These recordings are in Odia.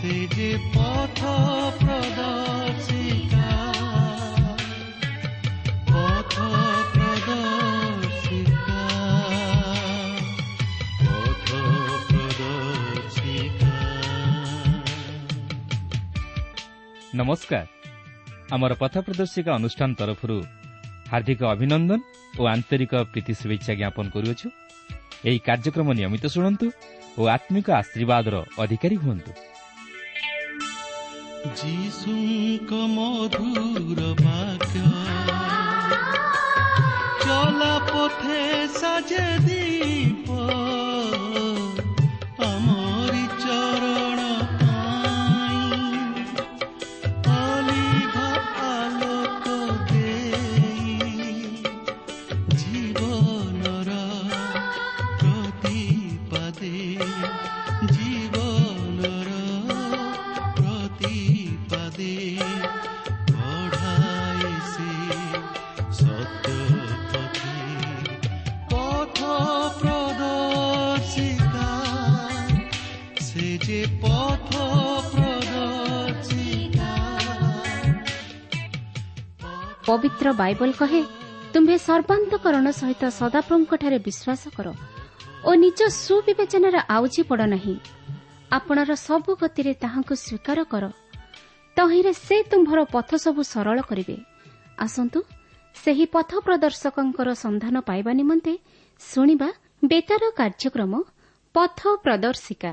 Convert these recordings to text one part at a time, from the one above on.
ସେ ଯେ ପଥ ପ୍ରଦର୍ଶିକା, ପଥ ପ୍ରଦର୍ଶିକା, ପଥ ପ୍ରଦର୍ଶିକା। ନମସ୍କାର। ଆମର ପଥ ପ୍ରଦର୍ଶିକା ଅନୁଷ୍ଠାନ ତରଫରୁ ହାର୍ଦ୍ଦିକ ଅଭିନନ୍ଦନ ଓ ଆନ୍ତରିକ ପ୍ରୀତି ଶୁଭେଚ୍ଛା ଜ୍ଞାପନ କରୁଅଛୁ। ଏହି କାର୍ଯ୍ୟକ୍ରମ ନିୟମିତ ଶୁଣନ୍ତୁ ଓ ଆତ୍ମିକ ଆଶୀର୍ବାଦର ଅଧିକାରୀ ହୁଅନ୍ତୁ। ଯୀଶୁଙ୍କ ମଧୁର ବାକ୍ୟ ଚଲା ପଥେ ସାଜେ ଦୀପ, ଆମରି ଚରଣ ପାଇଁ ଅଲିଭା ଆଲୋକ ଦେଇ, ଜୀବନର ପ୍ରତିପାଦେ, ଜୀବନର ପ୍ରତିପାଦେ କଢ଼ାଏ ସେ ସତ୍ୟ ପଥେ। ପଥ ପ୍ରଦର୍ଶିକା, ସେ ଯେ ପଥ ପ୍ରଦର୍ଶିକା। ପବିତ୍ର ବାଇବଲ କହେ, ତୁମ୍ଭେ ସର୍ବାନ୍ତକରଣ ସହିତ ସଦାପ୍ରଭୁଙ୍କଠାରେ ବିଶ୍ୱାସ କର ଓ ନିଜ ସୁବିବେଚନାରେ ଆଉଜି ପଡ଼ ନାହିଁ। ଆପଣର ସବୁ ଗତିରେ ତାହାଙ୍କୁ ସ୍ୱୀକାର କର, ତହିଁରେ ସେ ତୁମ୍ଭର ପଥ ସବୁ ସରଳ କରିବେ। ଆସନ୍ତୁ ସେହି ପଥ ପ୍ରଦର୍ଶକଙ୍କର ସନ୍ଧାନ ପାଇବା ନିମନ୍ତେ ଶୁଣିବା ବେତାର କାର୍ଯ୍ୟକ୍ରମ ପଥ ପ୍ରଦର୍ଶିକା।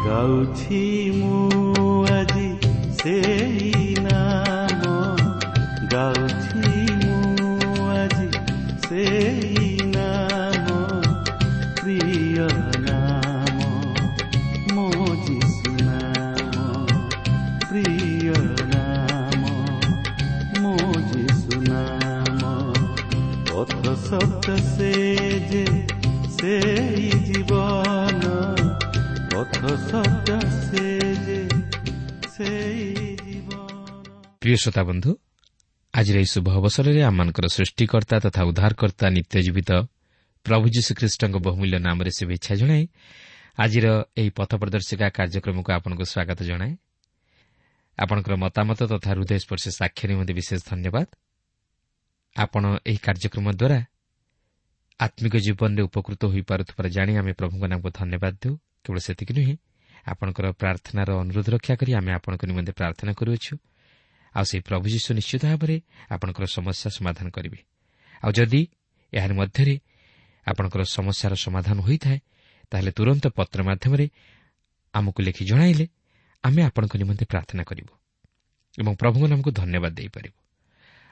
ଗାଉଛି ମୁଁ ଆଜି ସେଇ ନାମ, ଗାଉଛି ମୁଁ ଆଜି ସେଇ ନାମ, ପ୍ରିୟ ନାମ ମୋ ଯୀଶୁ ନାମ, ପ୍ରିୟ ନାମ ମୋ ଯୀଶୁ ନାମ। ପଥ ସତ୍ୟ ସେ ଯେ ସେଇ ଜୀବନ, ପଥ ସତ୍ୟ ସେ ଯେ ସେଇ ଜୀବନ। ପ୍ରିୟ ଶ୍ରୋତା ବନ୍ଧୁ, ଆଜିର ଏହି ଶୁଭ ଅବସରରେ ଆମମାନଙ୍କର ସୃଷ୍ଟିକର୍ତ୍ତା ତଥା ଉଦ୍ଧାରକର୍ତ୍ତା ନିତ୍ୟଜୀବିତ ପ୍ରଭୁ ଯୀଶୁଖ୍ରୀଷ୍ଟଙ୍କ ବହୁମୂଲ୍ୟ ନାମରେ ଶୁଭେଚ୍ଛା ଜଣାଇ ଆଜିର ଏହି ପଥ ପ୍ରଦର୍ଶିକା କାର୍ଯ୍ୟକ୍ରମକୁ ଆପଣଙ୍କୁ ସ୍ୱାଗତ ଜଣାଏ। ଆପଣଙ୍କର ମତାମତ ତଥା ହୃଦୟସ୍ପର୍ଶୀ ସାକ୍ଷ୍ୟ ନିମନ୍ତେ ବିଶେଷ ଧନ୍ୟବାଦ। ଆପଣ ଏହି କାର୍ଯ୍ୟକ୍ରମ ଦ୍ୱାରା ଆତ୍ମିକ ଜୀବନରେ ଉପକୃତ ହୋଇପାରୁଥିବାର ଜାଣି ଆମେ ପ୍ରଭୁଙ୍କ ନାମକୁ ଧନ୍ୟବାଦ ଦେଉ। କେବଳ ସେତିକି ନୁହେଁ, ଆପଣଙ୍କର ପ୍ରାର୍ଥନାର ଅନୁରୋଧ ରକ୍ଷା କରି ଆମେ ଆପଣଙ୍କ ନିମନ୍ତେ ପ୍ରାର୍ଥନା କରୁଅଛୁ। ଆଉ ସେହି ପ୍ରଭୁ ଯୀଶୁ ନିଶ୍ଚିତ ଭାବରେ ଆପଣଙ୍କର ସମସ୍ୟା ସମାଧାନ କରିବେ। ଆଉ ଯଦି ଏହାରି ମଧ୍ୟରେ ଆପଣଙ୍କର ସମସ୍ୟାର ସମାଧାନ ହୋଇଥାଏ, ତାହେଲେ ତୁରନ୍ତ ପତ୍ର ମାଧ୍ୟମରେ ଆମକୁ ଲେଖି ଜଣାଇଲେ ଆମେ ଆପଣଙ୍କ ନିମନ୍ତେ ପ୍ରାର୍ଥନା କରିବୁ ଏବଂ ପ୍ରଭୁଙ୍କ ନାମକୁ ଧନ୍ୟବାଦ ଦେଇପାରିବୁ।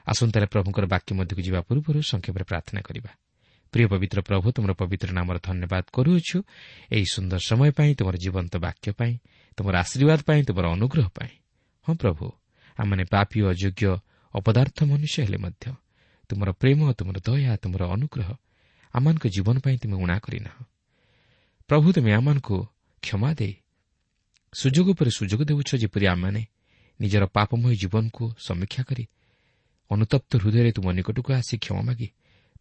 ଆସନ୍ତୁ ତାହେଲେ ପ୍ରଭୁଙ୍କର ବାକ୍ୟ ମଧ୍ୟକୁ ଯିବା ପୂର୍ବରୁ ସଂକ୍ଷେପରେ ପ୍ରାର୍ଥନା କରିବା। ପ୍ରିୟ ପବିତ୍ର ପ୍ରଭୁ, ତୁମର ପବିତ୍ର ନାମର ଧନ୍ୟବାଦ କରୁଅଛୁ ଏହି ସୁନ୍ଦର ସମୟ ପାଇଁ, ତୁମର ଜୀବନ୍ତ ବାକ୍ୟ ପାଇଁ, ତୁମର ଆଶୀର୍ବାଦ ପାଇଁ, ତୁମର ଅନୁଗ୍ରହ ପାଇଁ। ହଁ ପ୍ରଭୁ, ଆମମାନେ ପାପୀ, ଅଯୋଗ୍ୟ, ଅପଦାର୍ଥ ମନୁଷ୍ୟ ହେଲେ ମଧ୍ୟ ତୁମର ପ୍ରେମ, ତୁମର ଦୟା, ତୁମର ଅନୁଗ୍ରହ ଆମମାନଙ୍କ ଜୀବନ ପାଇଁ ତୁମେ ଊଣା କରିନାହ। ପ୍ରଭୁ, ତୁମେ ଆମମାନଙ୍କୁ କ୍ଷମା ଦେଇ ସୁଯୋଗ ଉପରେ ସୁଯୋଗ ଦେଉଛ, ଯେପରି ଆମମାନେ ନିଜର ପାପମୟ ଜୀବନକୁ ସମୀକ୍ଷା କରି ଅନୁତପ୍ତ ହୃଦୟରେ ତୁମ ନିକଟକୁ ଆସି କ୍ଷମା ମାଗି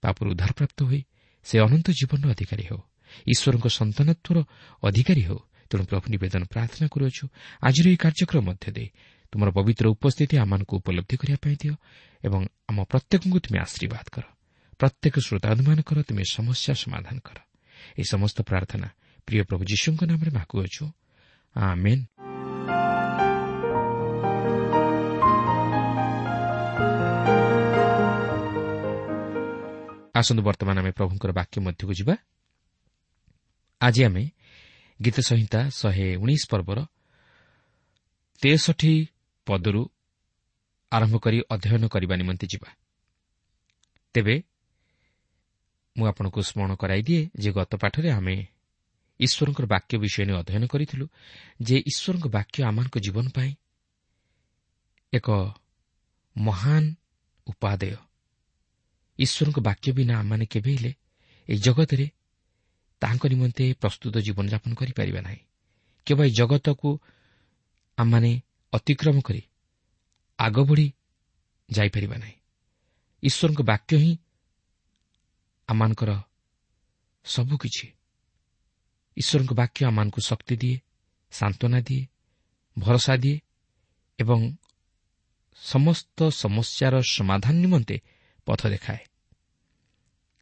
ପାପରୁ ଉଦ୍ଧାରପ୍ରାପ୍ତ ହୋଇ ସେ ଅନନ୍ତ ଜୀବନର ଅଧିକାରୀ ହେଉ, ଈଶ୍ୱରଙ୍କ ସନ୍ତାନତ୍ୱର ଅଧିକାରୀ ହେଉ। ତେଣୁ ପ୍ରଭୁ ନିବେଦନ ପ୍ରାର୍ଥନା କରୁଅଛୁ, ଆଜିର ଏହି କାର୍ଯ୍ୟକ୍ରମ ମଧ୍ୟ ଦେଇ ତୁମର ପବିତ୍ର ଉପସ୍ଥିତି ଆମମାନଙ୍କୁ ଉପଲବ୍ଧି କରିବା ପାଇଁ ଦିଅ ଏବଂ ଆମ ପ୍ରତ୍ୟେକଙ୍କୁ ତୁମେ ଆଶୀର୍ବାଦ କର। ପ୍ରତ୍ୟେକ ଶ୍ରୋତାମାନଙ୍କର ତୁମେ ସମସ୍ୟା ସମାଧାନ କର। ଏହି ସମସ୍ତ ପ୍ରାର୍ଥନା ପ୍ରିୟ ପ୍ରଭୁ ଯୀଶୁଙ୍କ ନାମରେ ମାଗୁଅଛୁ, ଆମେନ୍। ଆସନ୍ତୁ ବର୍ତ୍ତମାନ ଆମେ ପ୍ରଭୁଙ୍କର ବାକ୍ୟ ମଧ୍ୟକୁ ଯିବା। ଆଜି ଆମେ ଗୀତ ସଂହିତା 119 ପର୍ବର 63 ପଦରୁ ଆରମ୍ଭ କରି ଅଧ୍ୟୟନ କରିବା ନିମନ୍ତେ ଯିବା। ତେବେ ମୁଁ ଆପଣଙ୍କୁ ସ୍ମରଣ କରାଇଦିଏ ଯେ ଗତ ପାଠରେ ଆମେ ଈଶ୍ୱରଙ୍କର ବାକ୍ୟ ବିଷୟ ନେଇ ଅଧ୍ୟୟନ କରିଥିଲୁ ଯେ ଈଶ୍ୱରଙ୍କ ବାକ୍ୟ ଆମମାନଙ୍କ ଜୀବନ ପାଇଁ ଏକ ମହାନ ଉପାଦେୟ। ଈଶ୍ୱରଙ୍କ ବାକ୍ୟ ବିନା ଆମମାନେ କେବେ ହେଲେ ଏହି ଜଗତରେ ତାହାଙ୍କ ନିମନ୍ତେ ପ୍ରସ୍ତୁତ ଜୀବନଯାପନ କରିପାରିବା ନାହିଁ। କେବଳ ଏହି ଜଗତକୁ ଆମମାନେ ଅତିକ୍ରମ କରି ଆଗ ବଢ଼ି ଯାଇପାରିବା ନାହିଁ। ଈଶ୍ୱରଙ୍କ ବାକ୍ୟ ହିଁ ଆମମାନଙ୍କର ସବୁକିଛି। ଈଶ୍ୱରଙ୍କ ବାକ୍ୟ ଆମମାନଙ୍କୁ ଶକ୍ତି ଦିଏ, ସାନ୍ତ୍ୱନା ଦିଏ, ଭରସା ଦିଏ ଏବଂ ସମସ୍ତ ସମସ୍ୟାର ସମାଧାନ ନିମନ୍ତେ ପଥ ଦେଖାଏ।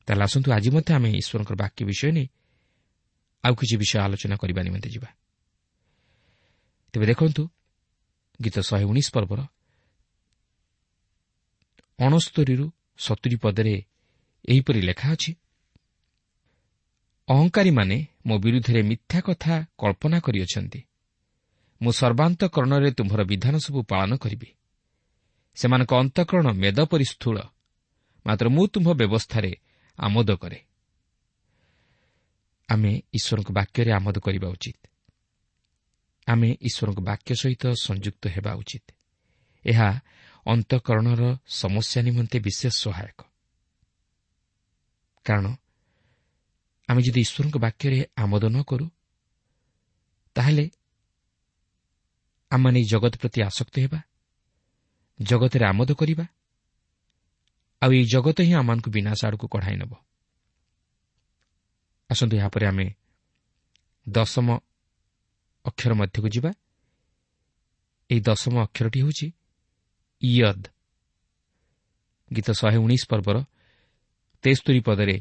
ତାହେଲେ ଆସନ୍ତୁ ଆଜି ମଧ୍ୟ ଆମେ ଈଶ୍ୱରଙ୍କ ବାକ୍ୟ ବିଷୟ ନେଇ ଆଉ କିଛି ବିଷୟ ଆଲୋଚନା କରିବା ନିମନ୍ତେ ଯିବା। ତେବେ ଦେଖନ୍ତୁ ଗୀତ 119 ପର୍ବର 69ରୁ 70 ପଦରେ ଏହିପରି ଲେଖା ଅଛି, ଅହଙ୍କାରୀମାନେ ମୋ ବିରୁଦ୍ଧରେ ମିଥ୍ୟା କଥା କଳ୍ପନା କରିଅଛନ୍ତି, ମୁଁ ସର୍ବାନ୍ତକରଣରେ ତୁମ୍ଭର ବିଧାନ ସବୁ ପାଳନ କରିବି। ସେମାନଙ୍କ ଅନ୍ତଃକରଣ ମେଦ ପରି ସ୍ଥୂଳ, ମାତ୍ର ମୁଁ ତୁମ୍ଭ ବ୍ୟବସ୍ଥାରେ ଆମୋଦ କରେ। ଆମେ ଈଶ୍ୱରଙ୍କ ବାକ୍ୟରେ ଆମୋଦ କରିବା ଉଚିତ। ଆମେ ଈଶ୍ୱରଙ୍କ ବାକ୍ୟ ସହିତ ସଂଯୁକ୍ତ ହେବା ଉଚିତ। ଏହା ଅନ୍ତଃକରଣର ସମସ୍ୟା ନିମନ୍ତେ ବିଶେଷ ସହାୟକ। କାରଣ ଆମେ ଯଦି ଈଶ୍ୱରଙ୍କ ବାକ୍ୟରେ ଆମୋଦ ନ କରୁ, ତାହେଲେ ଆମମାନେ ଏହି ଜଗତ ପ୍ରତି ଆସକ୍ତ ହେବା, ଜଗତରେ ଆମୋଦ କରିବା, ଆଉ ଏହି ଜଗତ ହିଁ ଆମମାନଙ୍କୁ ବିନାଶ ଆଡ଼କୁ କଢ଼ାଇ ନେବ। ଆସନ୍ତୁ ଏହାପରେ ଆମେ ଦଶମ ଅକ୍ଷର ମଧ୍ୟକୁ ଯିବା। ଏହି ଦଶମ ଅକ୍ଷରଟି ହେଉଛି ଇୟଦ୍। ଗୀତ 119 ପର୍ବର 73 ପଦରେ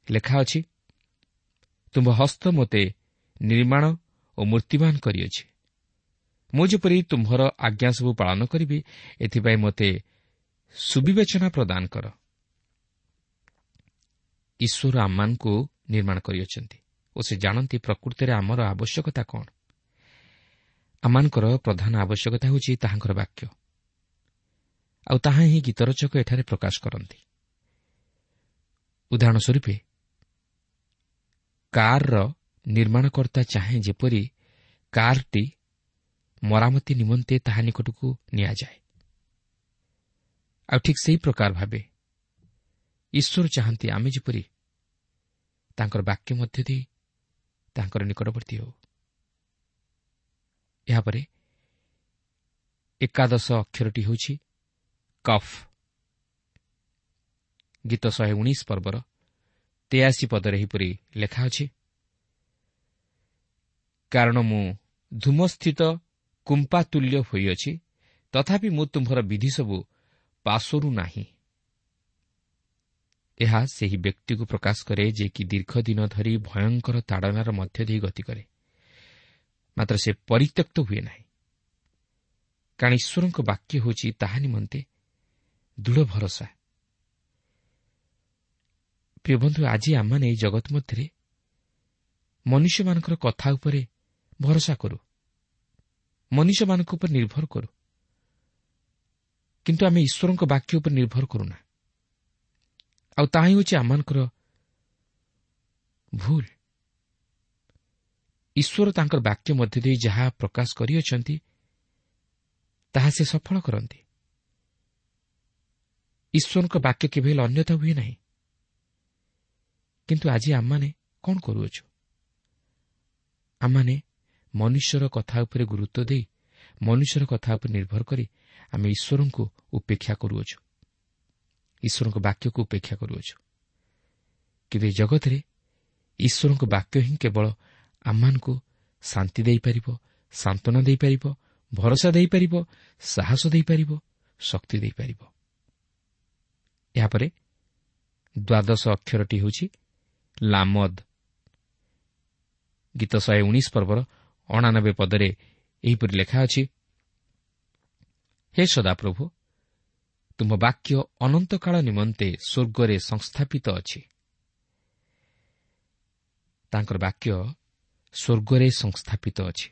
ଲେଖା ଅଛି, ତୁମ୍ଭ ହସ୍ତ ମୋତେ ନିର୍ମାଣ ଓ ମୂର୍ତ୍ତିମାନ କରିଅଛି, ମୁଁ ଯେପରି ତୁମ୍ଭର ଆଜ୍ଞା ସବୁ ପାଳନ କରିବି, ଏଥିପାଇଁ ମୋତେ ସୁବିବେଚନା ପ୍ରଦାନ କର। ଈଶ୍ୱର ଆମମାନଙ୍କୁ ନିର୍ମାଣ କରିଅଛନ୍ତି ଓ ସେ ଜାଣନ୍ତି ପ୍ରକୃତରେ ଆମର ଆବଶ୍ୟକତା କ'ଣ। ଆମମାନଙ୍କର ପ୍ରଧାନ ଆବଶ୍ୟକତା ହେଉଛି ତାହାଙ୍କର ବାକ୍ୟ, ଆଉ ତାହା ହିଁ ଗୀତରଚକ ଏଠାରେ ପ୍ରକାଶ କରନ୍ତି। ଉଦାହରଣ ସ୍ୱରୂପେ, କାର୍ର ନିର୍ମାଣକର୍ତ୍ତା ଚାହେଁ ଯେପରି କାର୍ଟି ମରାମତି ନିମନ୍ତେ ତାହା ନିକଟକୁ ନିଆଯାଏ, ଆଉ ଠିକ୍ ସେହି ପ୍ରକାର ଭାବେ ଈଶ୍ୱର ଚାହାନ୍ତି ଆମେ ଯେପରି ତାଙ୍କର ବାକ୍ୟ ମଧ୍ୟ ଦେଇ ତାଙ୍କର ନିକଟବର୍ତ୍ତୀ ହେଉ। ଏହାପରେ ଏକାଦଶ ଅକ୍ଷରଟି ହେଉଛି କଫ୍। ଗୀତ 119 ପର୍ବର 83 ପଦରେ ଏହିପରି ଲେଖା ଅଛି, କାରଣ ମୁଁ ଧୂମସ୍ଥିତ କୁମ୍ପାତୁଲ୍ୟ ହୋଇଅଛି, ତଥାପି ମୁଁ ତୁମ୍ଭର ବିଧି ସବୁ ପାଶୋରୁ ନାହିଁ। ଏହା ସେହି ବ୍ୟକ୍ତିକୁ ପ୍ରକାଶ କରେ ଯେ କି ଦୀର୍ଘ ଦିନ ଧରି ଭୟଙ୍କର ତାଡ଼ନାର ମଧ୍ୟ ଦେଇ ଗତି କରେ, ମାତ୍ର ସେ ପରିତ୍ୟକ୍ତ ହୁଏ ନାହିଁ, କାରଣ ଈଶ୍ୱରଙ୍କ ବାକ୍ୟ ହେଉଛି ତାହା ନିମନ୍ତେ ଦୃଢ଼ ଭରସା। ପ୍ରିୟ ବନ୍ଧୁ, ଆଜି ଆମମାନେ ଏହି ଜଗତ ମଧ୍ୟରେ ମନୁଷ୍ୟମାନଙ୍କର କଥା ଉପରେ ଭରସା କରୁ, ମନୁଷ୍ୟମାନଙ୍କ ଉପରେ ନିର୍ଭର କରୁ, କିନ୍ତୁ ଆମେ ଈଶ୍ୱରଙ୍କ ବାକ୍ୟ ଉପରେ ନିର୍ଭର କରୁନା। ଆଉ ତାହା ହିଁ ହେଉଛି ଆମମାନଙ୍କର ଭୁଲ। ଈଶ୍ୱର ତାଙ୍କର ବାକ୍ୟ ମଧ୍ୟ ଦେଇ ଯାହା ପ୍ରକାଶ କରିଅଛନ୍ତି ତାହା ସେ ସଫଳ କରନ୍ତି। ଈଶ୍ୱରଙ୍କ ବାକ୍ୟ କେବେ ହେଲେ ଅନ୍ୟଥା ହୁଏ ନାହିଁ। କିନ୍ତୁ ଆଜି ଆମମାନେ କ'ଣ କରୁଅଛୁ? ଆମମାନେ ମନୁଷ୍ୟର କଥା ଉପରେ ଗୁରୁତ୍ୱ ଦେଇ, ମନୁଷ୍ୟର କଥା ଉପରେ ନିର୍ଭର କରି ଆମେ ଈଶ୍ୱରଙ୍କୁ ଉପେକ୍ଷା କରୁଅଛୁ, ଈଶ୍ୱରଙ୍କ ବାକ୍ୟକୁ ଉପେକ୍ଷା କରୁଅଛୁ। କିନ୍ତୁ ଏ ଜଗତରେ ଈଶ୍ୱରଙ୍କ ବାକ୍ୟ ହିଁ କେବଳ ଆମମାନଙ୍କୁ ଶାନ୍ତି ଦେଇପାରିବ, ସାନ୍ତ୍ୱନା ଦେଇପାରିବ, ଭରସା ଦେଇପାରିବ, ସାହସ ଦେଇପାରିବ, ଶକ୍ତି ଦେଇପାରିବ। ଏହାପରେ ଦ୍ୱାଦଶ ଅକ୍ଷରଟି ହେଉଛି ଲାମଦ। ଗୀତ 119 ପର୍ବର 89 ପଦରେ ଏହିପରି ଲେଖା ଅଛି, ହେ ସଦାପ୍ରଭୁ, ତୁମ ବାକ୍ୟ ଅନନ୍ତକାଳ ନିମନ୍ତେ ସ୍ୱର୍ଗରେ ସଂସ୍ଥାପିତ ଅଛି। ତାଙ୍କର ବାକ୍ୟ ସ୍ୱର୍ଗରେ ସଂସ୍ଥାପିତ ଅଛି।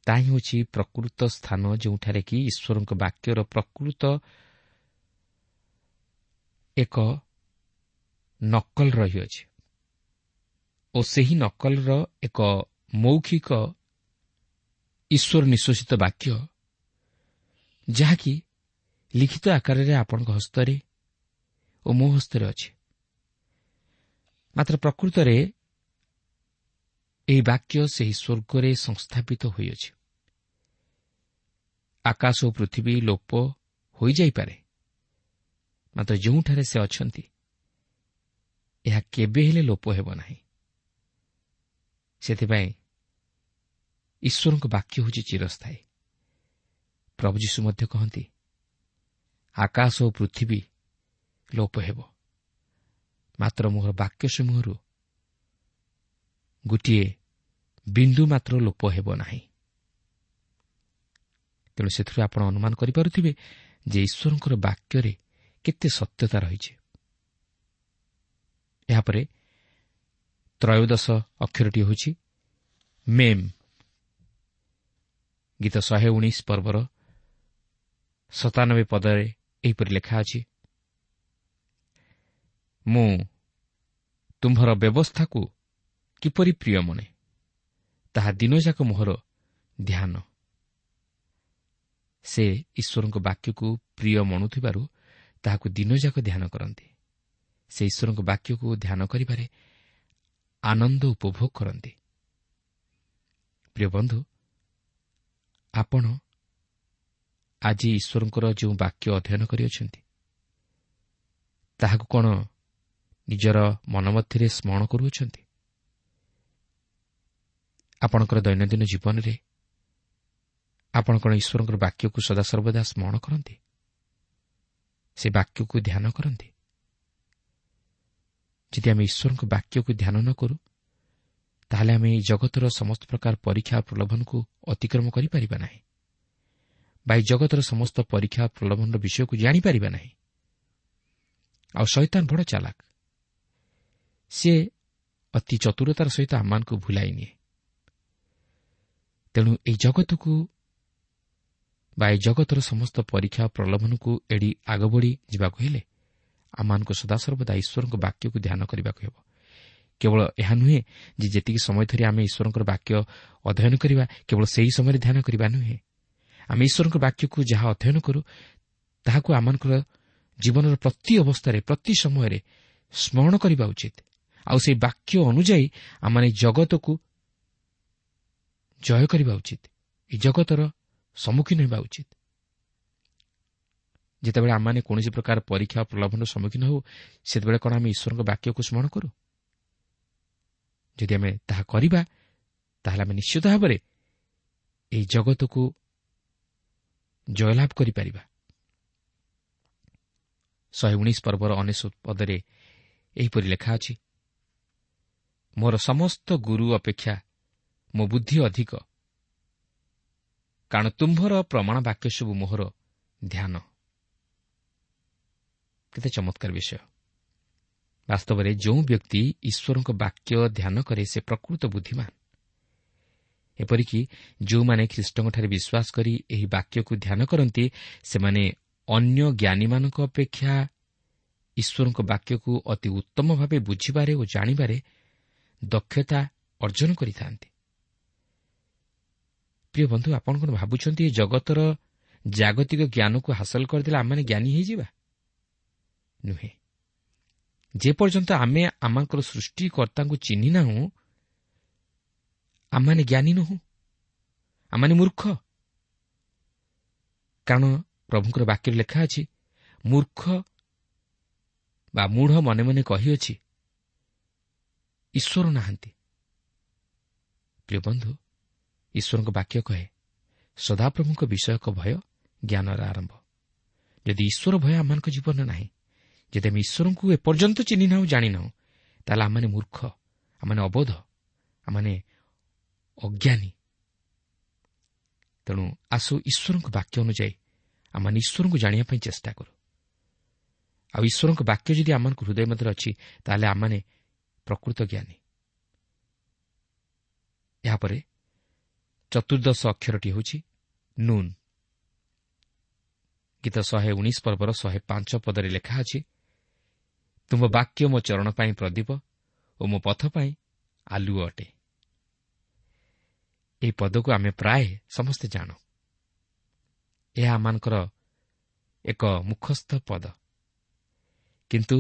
ତାହା ହେଉଛି ପ୍ରକୃତ ସ୍ଥାନ ଯେଉଁଠାରେ କି ଈଶ୍ୱରଙ୍କ ବାକ୍ୟର ପ୍ରକୃତ ଏକ ନକଲ ରହିଅଛି ଓ ସେହି ନକଲର ଏକ ମୌଖିକ ଈଶ୍ୱର ନିଶ୍ଵସିତ ବାକ୍ୟ, ଯାହାକି ଲିଖିତ ଆକାରରେ ଆପଣଙ୍କ ହସ୍ତରେ ଓ ମୋ ହସ୍ତରେ ଅଛି। ମାତ୍ର ପ୍ରକୃତରେ ଏହି ବାକ୍ୟ ସେହି ସ୍ୱର୍ଗରେ ସଂସ୍ଥାପିତ ହୋଇଅଛି। ଆକାଶ ଓ ପୃଥିବୀ ଲୋପ ହୋଇଯାଇପାରେ, ମାତ୍ର ଯେଉଁଠାରେ ସେ ଅଛନ୍ତି ଏହା କେବେ ହେଲେ ଲୋପ ହେବ ନାହିଁ। ସେଥିପାଇଁ ଈଶ୍ୱରଙ୍କ ବାକ୍ୟ ହେଉଛି ଚିରସ୍ଥାୟୀ। ପ୍ରଭୁ ଯୀଶୁ ମଧ୍ୟ କହନ୍ତି, ଆକାଶ ଓ ପୃଥିବୀ ଲୋପ ହେବ, ମାତ୍ର ମୋର ବାକ୍ୟ ସମୂହରୁ ଗୋଟିଏ ବିନ୍ଦୁ ମାତ୍ର ଲୋପ ହେବ ନାହିଁ। ତେଣୁ ସେଥିରୁ ଆପଣ ଅନୁମାନ କରିପାରୁଥିବେ ଯେ ଈଶ୍ୱରଙ୍କର ବାକ୍ୟରେ କେତେ ସତ୍ୟତା ରହିଛି। ଏହାପରେ ତ୍ରୟୋଦଶ ଅକ୍ଷରଟି ହେଉଛି ମେମ୍। ଗୀତ 119 ପର୍ବର 97 ପଦରେ ଏହିପରି ଲେଖା ଅଛି, ମୁଁ ତୁମ୍ଭର ବ୍ୟବସ୍ଥାକୁ କିପରି ପ୍ରିୟ ମନେ, ତାହା ଦିନଯାକ ମୋହର ଧ୍ୟାନ। ସେ ଈଶ୍ୱରଙ୍କ ବାକ୍ୟକୁ ପ୍ରିୟ ମଣୁଥିବାରୁ ତାହାକୁ ଦିନଯାକ ଧ୍ୟାନ କରନ୍ତି। ସେ ଈଶ୍ୱରଙ୍କ ବାକ୍ୟକୁ ଧ୍ୟାନ କରିବାରେ ଆନନ୍ଦ ଉପଭୋଗ କରନ୍ତି। ପ୍ରିୟ ବନ୍ଧୁ, ଆପଣ ଆଜି ଈଶ୍ୱରଙ୍କର ଯେଉଁ ବାକ୍ୟ ଅଧ୍ୟୟନ କରିଅଛନ୍ତି ତାହାକୁ କ'ଣ ନିଜର ମନ ମଧ୍ୟରେ ସ୍ମରଣ କରୁଅଛନ୍ତି? ଆପଣଙ୍କର ଦୈନନ୍ଦିନ ଜୀବନରେ ଆପଣ କ'ଣ ଈଶ୍ୱରଙ୍କର ବାକ୍ୟକୁ ସଦାସର୍ବଦା ସ୍ମରଣ କରନ୍ତି? ସେ ବାକ୍ୟକୁ ଧ୍ୟାନ କରନ୍ତି? ଯଦି ଆମେ ଈଶ୍ୱରଙ୍କ ବାକ୍ୟକୁ ଧ୍ୟାନ ନ କରୁ, ତାହେଲେ ଆମେ ଏହି ଜଗତର ସମସ୍ତ ପ୍ରକାର ପରୀକ୍ଷା ପ୍ରଲୋଭନକୁ ଅତିକ୍ରମ କରିପାରିବା ନାହିଁ ବା ଏହି ଜଗତର ସମସ୍ତ ପରୀକ୍ଷା ପ୍ରଲୋଭନର ବିଷୟକୁ ଜାଣିପାରିବା ନାହିଁ। ଆଉ ଶୈତାନ ବଡ଼ ଚାଲାକ, ସିଏ ଅତି ଚତୁରତାର ସହିତ ଆମମାନଙ୍କୁ ଭୁଲାଇ ନିଏ। ତେଣୁ ଏହି ଜଗତକୁ ବା ଏହି ଜଗତର ସମସ୍ତ ପରୀକ୍ଷା ପ୍ରଲୋଭନକୁ ଏଡ଼ି ଆଗ ବଢ଼ି ଯିବାକୁ ହେଲେ ଆମମାନଙ୍କୁ ସଦାସର୍ବଦା ଈଶ୍ୱରଙ୍କ ବାକ୍ୟକୁ ଧ୍ୟାନ କରିବାକୁ ହେବ। କେବଳ ଏହା ନୁହେଁ ଯେ ଯେତିକି ସମୟ ଧରି ଆମେ ଈଶ୍ୱରଙ୍କର ବାକ୍ୟ ଅଧ୍ୟୟନ କରିବା କେବଳ ସେହି ସମୟରେ ଧ୍ୟାନ କରିବା ନୁହେଁ। ଆମେ ଈଶ୍ୱରଙ୍କ ବାକ୍ୟକୁ ଯାହା ଅଧ୍ୟୟନ କରୁ ତାହାକୁ ଆମମାନଙ୍କର ଜୀବନର ପ୍ରତି ଅବସ୍ଥାରେ, ପ୍ରତି ସମୟରେ ସ୍ମରଣ କରିବା ଉଚିତ। ଆଉ ସେହି ବାକ୍ୟ ଅନୁଯାୟୀ ଆମମାନେ ଜଗତକୁ ଜୟ କରିବା ଉଚିତ, ଏ ଜଗତର ସମ୍ମୁଖୀନ ହେବା ଉଚିତ। ଯେତେବେଳେ ଆମମାନେ କୌଣସି ପ୍ରକାର ପରୀକ୍ଷା ପ୍ରଲୋଭନର ସମ୍ମୁଖୀନ ହେଉ, ସେତେବେଳେ କ'ଣ ଆମେ ଈଶ୍ୱରଙ୍କ ବାକ୍ୟକୁ ସ୍ମରଣ କରୁ? ଯଦି ଆମେ ତାହା କରିବା, ତାହେଲେ ଆମେ ନିଶ୍ଚିତ ଭାବରେ ଏହି ଜଗତକୁ ଜୟଲାଭ କରିପାରିବା। 119 ପର୍ବର 99 ପଦରେ ଏହିପରି ଲେଖା ଅଛି, ମୋର ସମସ୍ତ ଗୁରୁ ଅପେକ୍ଷା ମୋ ବୁଦ୍ଧି ଅଧିକ, କାରଣ ତୁମ୍ଭର ପ୍ରମାଣ ବାକ୍ୟ ସବୁ ମୋହର ଧ୍ୟାନ। କେତେ ଚମତ୍କାର ବିଷୟ! ବାସ୍ତବରେ ଯେଉଁ ବ୍ୟକ୍ତି ଈଶ୍ୱରଙ୍କ ବାକ୍ୟ ଧ୍ୟାନ କରେ ସେ ପ୍ରକୃତ ବୁଦ୍ଧିମାନ। ଏପରିକି ଯେଉଁମାନେ ଖ୍ରୀଷ୍ଟଙ୍କଠାରେ ବିଶ୍ୱାସ କରି ଏହି ବାକ୍ୟକୁ ଧ୍ୟାନ କରନ୍ତି, ସେମାନେ ଅନ୍ୟ ଜ୍ଞାନୀମାନଙ୍କ ଅପେକ୍ଷା ଈଶ୍ୱରଙ୍କ ବାକ୍ୟକୁ ଅତି ଉତ୍ତମ ଭାବେ ବୁଝିବାରେ ଓ ଜାଣିବାରେ ଦକ୍ଷତା ଅର୍ଜନ କରିଥାନ୍ତି। ପ୍ରିୟ ବନ୍ଧୁ, ଆପଣ କ'ଣ ଭାବୁଛନ୍ତି ଏ ଜଗତର ଜାଗତିକ ଜ୍ଞାନକୁ ହାସଲ କରିଦେଲେ ଆମେମାନେ ଜ୍ଞାନୀ ହୋଇଯିବା? ନୁହେଁ। ଯେପର୍ଯ୍ୟନ୍ତ ଆମେ ଆମଙ୍କର ସୃଷ୍ଟିକର୍ତ୍ତାଙ୍କୁ ଚିହ୍ନି ନାହୁଁ, ଆମମାନେ ଜ୍ଞାନୀ ନୋହୁଁ, ଆମମାନେ ମୂର୍ଖ। କାରଣ ପ୍ରଭୁଙ୍କର ବାକ୍ୟରେ ଲେଖା ଅଛି, ମୂର୍ଖ ବା ମୂଢ଼ ମନେ ମନେ କହିଅଛି, ଈଶ୍ୱର ନାହାନ୍ତି। ପ୍ରିୟ ବନ୍ଧୁ, ଈଶ୍ୱରଙ୍କ ବାକ୍ୟ କହେ, ସଦାପ୍ରଭୁଙ୍କ ବିଷୟକ ଭୟ ଜ୍ଞାନର ଆରମ୍ଭ। ଯଦି ଈଶ୍ୱର ଭୟ ଆମମାନଙ୍କ ଜୀବନରେ ନାହିଁ, ଯଦି ଆମେ ଈଶ୍ୱରଙ୍କୁ ଏପର୍ଯ୍ୟନ୍ତ ଚିହ୍ନି ନାହୁଁ, ଜାଣିନାହୁଁ, ତାହେଲେ ଆମମାନେ ମୂର୍ଖ, ଆମମାନେ ଅବୋଧ, ଆମମାନେ ଅଜ୍ଞାନୀ। ତେଣୁ ଆସୁ ଈଶ୍ୱରଙ୍କ ବାକ୍ୟ ଅନୁଯାୟୀ ଆମମାନେ ଈଶ୍ୱରଙ୍କୁ ଜାଣିବା ପାଇଁ ଚେଷ୍ଟା କରୁ। ଆଉ ଈଶ୍ୱରଙ୍କ ବାକ୍ୟ ଯଦି ଆମମାନଙ୍କ ହୃଦୟ ମଧ୍ୟରେ ଅଛି, ତାହେଲେ ଆମମାନେ ପ୍ରକୃତ ଜ୍ଞାନୀ। ଏହାପରେ ଚତୁର୍ଦ୍ଦଶ ଅକ୍ଷରଟି ହେଉଛି ନୁନ୍। ଗୀତ 119 ପର୍ବର 105 ପଦରେ ଲେଖା ଅଛି, ତୁମ ବାକ୍ୟ ମୋ ଚରଣ ପାଇଁ ପ୍ରଦୀପ ଓ ମୋ ପଥ ପାଇଁ ଆଲୁଅ ଅଟେ। ଏହି ପଦକୁ ଆମେ ପ୍ରାୟ ସମସ୍ତେ ଜାଣୁ। ଏହା ଆମମାନଙ୍କର ଏକ ମୁଖସ୍ଥ ପଦ। କିନ୍ତୁ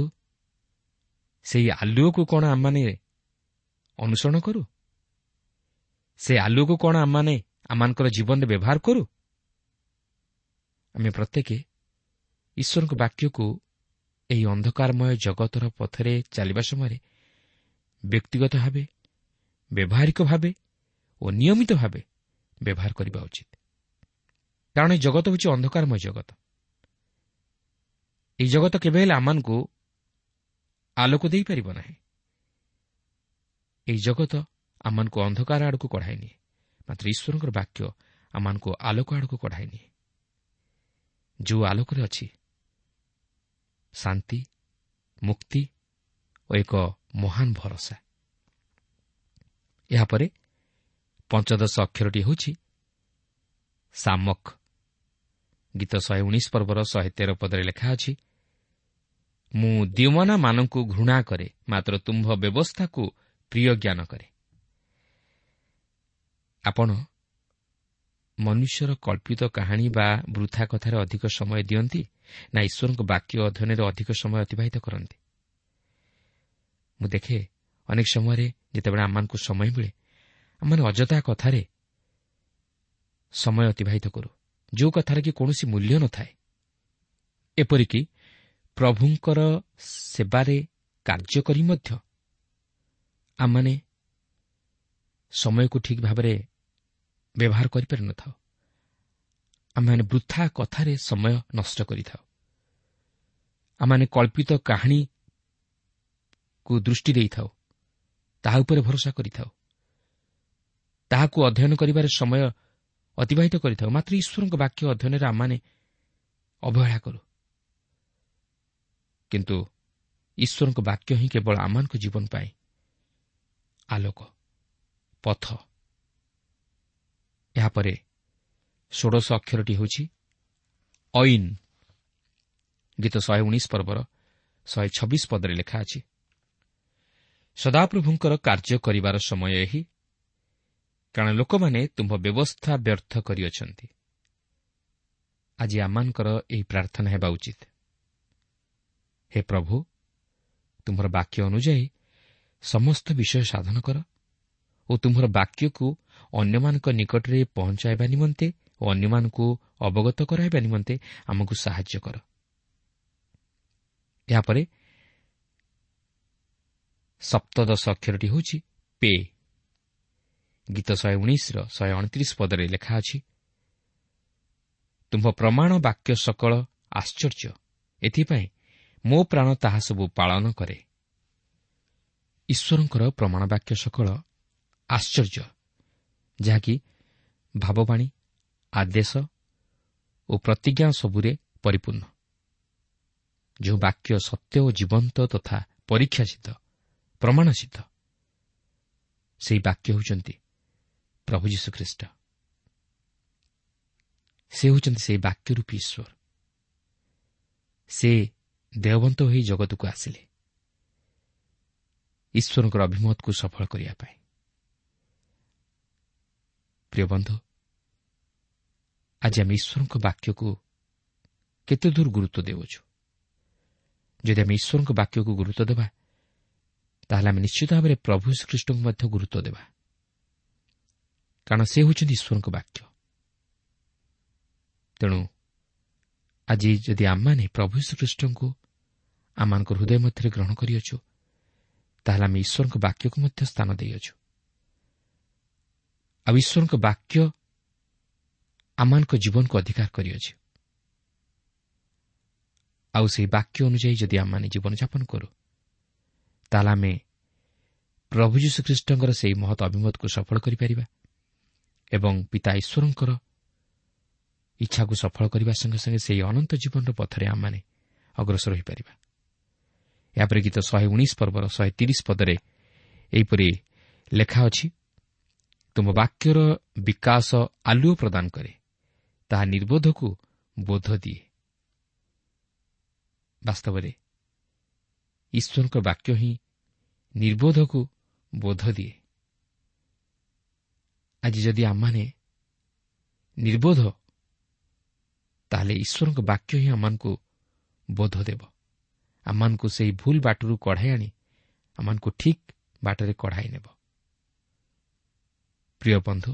ସେହି ଆଲୁଅକୁ କ'ଣ ଆମମାନେ ଅନୁସରଣ କରୁ? ସେ ଆଲୁଅକୁ କ'ଣ ଆମମାନେ ଆମମାନଙ୍କର ଜୀବନରେ ବ୍ୟବହାର କରୁ? ଆମେ ପ୍ରତ୍ୟେକ ଈଶ୍ୱରଙ୍କ ବାକ୍ୟକୁ ଏହି ଅନ୍ଧକାରମୟ ଜଗତର ପଥରେ ଚାଲିବା ସମୟରେ ବ୍ୟକ୍ତିଗତ ଭାବେ, ବ୍ୟବହାରିକ ଭାବେ ଓ ନିୟମିତ ଭାବେ ବ୍ୟବହାର କରିବା ଉଚିତ। କାରଣ ଏହି ଜଗତ ହେଉଛି ଅନ୍ଧକାରମୟ ଜଗତ। ଏହି ଜଗତ କେବେ ହେଲେ ଆମମାନଙ୍କୁ ଆଲୋକ ଦେଇପାରିବ ନାହିଁ। ଏହି ଜଗତ ଆମମାନଙ୍କୁ ଅନ୍ଧକାର ଆଡ଼କୁ କଢ଼ାଇ ନିଏ, ମାତ୍ର ଈଶ୍ୱରଙ୍କର ବାକ୍ୟ ଆମମାନଙ୍କୁ ଆଲୋକ ଆଡ଼କୁ କଢ଼ାଇ ନିଏ, ଯେଉଁ ଆଲୋକରେ ଅଛି ଶାନ୍ତି, ମୁକ୍ତି ଓ ଏକ ମହାନ ଭରସା। ଏହାପରେ ପଞ୍ଚଦଶ ଅକ୍ଷରଟି ହେଉଛି ସାମକ। ଗୀତ 119 ପର୍ବର 113 ପଦରେ ଲେଖା ଅଛି, ମୁଁ ଦ୍ୟୁମନାମାନଙ୍କୁ ଘୃଣା କରେ, ମାତ୍ର ତୁମ୍ଭ ବ୍ୟବସ୍ଥାକୁ ପ୍ରିୟ ଜ୍ଞାନ କରେ। ଆପଣ ମନୁଷ୍ୟର କଳ୍ପିତ କାହାଣୀ ବା ବୃଥା କଥାରେ ଅଧିକ ସମୟ ଦିଅନ୍ତି ନା ଈଶ୍ୱରଙ୍କ ବାକ୍ୟ ଅଧ୍ୟୟନରେ ଅଧିକ ସମୟ ଅତିବାହିତ କରନ୍ତି? ମୁଁ ଦେଖେ ଅନେକ ସମୟରେ ଯେତେବେଳେ ଆମମାନଙ୍କୁ ସମୟ ମିଳେ, ଆମମାନେ ଅଯଥା କଥାରେ ସମୟ ଅତିବାହିତ କରୁ, ଯେଉଁ କଥାରେ କି କୌଣସି ମୂଲ୍ୟ ନଥାଏ। ଏପରିକି ପ୍ରଭୁଙ୍କର ସେବାରେ କାର୍ଯ୍ୟ କରି ମଧ୍ୟ ଆମମାନେ ସମୟକୁ ଠିକ୍ ଭାବରେ ବ୍ୟବହାର କରିପାରିନଥାଉ। ଆମେମାନେ ବୃଥା କଥାରେ ସମୟ ନଷ୍ଟ କରିଥାଉ। ଆମମାନେ କଳ୍ପିତ କାହାଣୀକୁ ଦୃଷ୍ଟି ଦେଇଥାଉ, ତାହା ଉପରେ ଭରସା କରିଥାଉ, ତାହାକୁ ଅଧ୍ୟୟନ କରିବାରେ ସମୟ ଅତିବାହିତ କରିଥାଉ, ମାତ୍ର ଈଶ୍ୱରଙ୍କ ବାକ୍ୟ ଅଧ୍ୟୟନରେ ଆମମାନେ ଅବହେଳା କରୁ। କିନ୍ତୁ ଈଶ୍ୱରଙ୍କ ବାକ୍ୟ ହିଁ କେବଳ ଆମମାନଙ୍କ ଜୀବନ ପାଇଁ ଆଲୋକ, ପଥ। ଏହାପରେ ଷୋଡ଼ଶ ଅକ୍ଷରଟି ହେଉଛି ଐନ୍। ଗୀତ 119 ପର୍ବର 126 ପଦରେ ଲେଖା ଅଛି, ସଦାପ୍ରଭୁଙ୍କର କାର୍ଯ୍ୟ କରିବାର ସମୟ ଏହି, କାରଣ ଲୋକମାନେ ତୁମ୍ଭ ବ୍ୟବସ୍ଥା ବ୍ୟର୍ଥ କରିଅଛନ୍ତି। ଆଜି ଆମମାନଙ୍କର ଏହି ପ୍ରାର୍ଥନା ହେବା ଉଚିତ, ହେ ପ୍ରଭୁ, ତୁମ୍ଭର ବାକ୍ୟ ଅନୁଯାୟୀ ସମସ୍ତ ବିଷୟ ସାଧନ କର ଓ ତୁମ୍ଭର ବାକ୍ୟକୁ ଅନ୍ୟମାନଙ୍କ ନିକଟରେ ପହଞ୍ଚାଇବା ନିମନ୍ତେ ଓ ଅନ୍ୟମାନଙ୍କୁ ଅବଗତ କରାଇବା ନିମନ୍ତେ ଆମକୁ ସାହାଯ୍ୟ କର। ଏହାପରେ ସପ୍ତଦଶ ଅକ୍ଷରଟି ହେଉଛି ପେ। ଗୀତ 119ର 129 ପଦରେ ଲେଖା ଅଛି, ତୁମ୍ଭ ପ୍ରମାଣ ବାକ୍ୟ ସକଳ ଆଶ୍ଚର୍ଯ୍ୟ, ଏଥିପାଇଁ ମୋ ପ୍ରାଣ ତାହା ସବୁ ପାଳନ କରେ। ଈଶ୍ୱରଙ୍କର ପ୍ରମାଣ ବାକ୍ୟ ସକଳ ଆଶ୍ଚର୍ଯ୍ୟ, ଯାହାକି ଭାବବାଣୀ, ଆଦେଶ ଓ ପ୍ରତିଜ୍ଞା ସବୁରେ ପରିପୂର୍ଣ୍ଣ। ଯେଉଁ ବାକ୍ୟ ସତ୍ୟ ଓ ଜୀବନ୍ତ ତଥା ପରୀକ୍ଷାସିଦ୍ଧ, ପ୍ରମାଣସିଦ୍ଧ, ସେହି ବାକ୍ୟ ହେଉଛନ୍ତି ପ୍ରଭୁ ଯୀଶୁଖ୍ରୀଷ୍ଟ। ସେ ହେଉଛନ୍ତି ସେହି ବାକ୍ୟରୂପୀ ଈଶ୍ୱର। ସେ ଦେହବନ୍ତ ହୋଇ ଜଗତକୁ ଆସିଲେ ଈଶ୍ୱରଙ୍କର ଅଭିମତକୁ ସଫଳ କରିବା ପାଇଁ। ପ୍ରିୟ ବନ୍ଧୁ, ଆଜି ଆମେ ଈଶ୍ୱରଙ୍କ ବାକ୍ୟକୁ କେତେ ଦୂର ଗୁରୁତ୍ୱ ଦେଉଛୁ? ଯଦି ଆମେ ଈଶ୍ୱରଙ୍କ ବାକ୍ୟକୁ ଗୁରୁତ୍ୱ ଦେବା, ତାହେଲେ ଆମେ ନିଶ୍ଚିତ ଭାବରେ ପ୍ରଭୁ ଯୀଶୁଖ୍ରୀଷ୍ଟଙ୍କୁ ମଧ୍ୟ ଗୁରୁତ୍ୱ ଦେବା, କାରଣ ସେ ହେଉଛନ୍ତି ଈଶ୍ୱରଙ୍କ ବାକ୍ୟ। ତେଣୁ ଆଜି ଯଦି ଆମମାନେ ପ୍ରଭୁ ଯୀଶୁଖ୍ରୀଷ୍ଟଙ୍କୁ ଆମମାନଙ୍କ ହୃଦୟ ମଧ୍ୟରେ ଗ୍ରହଣ କରିଅଛୁ, ତାହେଲେ ଆମେ ଈଶ୍ୱରଙ୍କ ବାକ୍ୟକୁ ମଧ୍ୟ ସ୍ଥାନ ଦେଇଅଛୁ। ଆଉ ଈଶ୍ୱରଙ୍କ ବାକ୍ୟ ଆମମାନଙ୍କ ଜୀବନକୁ ଅଧିକାର କରିଅଛି। ଆଉ ସେହି ବାକ୍ୟ ଅନୁଯାୟୀ ଯଦି ଆମମାନେ ଜୀବନଯାପନ କରୁ, ତାହେଲେ ଆମେ ପ୍ରଭୁ ଯୀଶୁଖ୍ରୀଷ୍ଟଙ୍କର ସେହି ମହତ୍ ଅଭିମତକୁ ସଫଳ କରିପାରିବା ଏବଂ ପିତା ଈଶ୍ୱରଙ୍କର ଇଚ୍ଛାକୁ ସଫଳ କରିବା ସଙ୍ଗେ ସଙ୍ଗେ ସେହି ଅନନ୍ତ ଜୀବନର ପଥରେ ଆମମାନେ ଅଗ୍ରସର ହୋଇପାରିବା। ଏହାପରେ ଗୀତ 119 ପର୍ବର 130 ପଦରେ ଏହିପରି ଲେଖା ଅଛି, ତୁମ ବାକ୍ୟର ବିକାଶ ଆଲୁଅ ପ୍ରଦାନ କରେ, ତାହା ନିର୍ବୋଧକୁ ବୋଧ ଦିଏ। ବାସ୍ତବରେ ଈଶ୍ୱରଙ୍କ ବାକ୍ୟ ହିଁ ନିର୍ବୋଧକୁ ବୋଧ ଦିଏ। ଆଜି ଯଦି ଆମମାନେ ନିର୍ବୋଧ, ତାହେଲେ ଈଶ୍ୱରଙ୍କ ବାକ୍ୟ ହିଁ ଆମମାନଙ୍କୁ ବୋଧ ଦେବ, ଆମମାନଙ୍କୁ ସେହି ଭୁଲ ବାଟରୁ କଢ଼ାଇ ଆଣି ଆମମାନଙ୍କୁ ଠିକ୍ ବାଟରେ କଢ଼ାଇ ନେବ। ପ୍ରିୟ ବନ୍ଧୁ,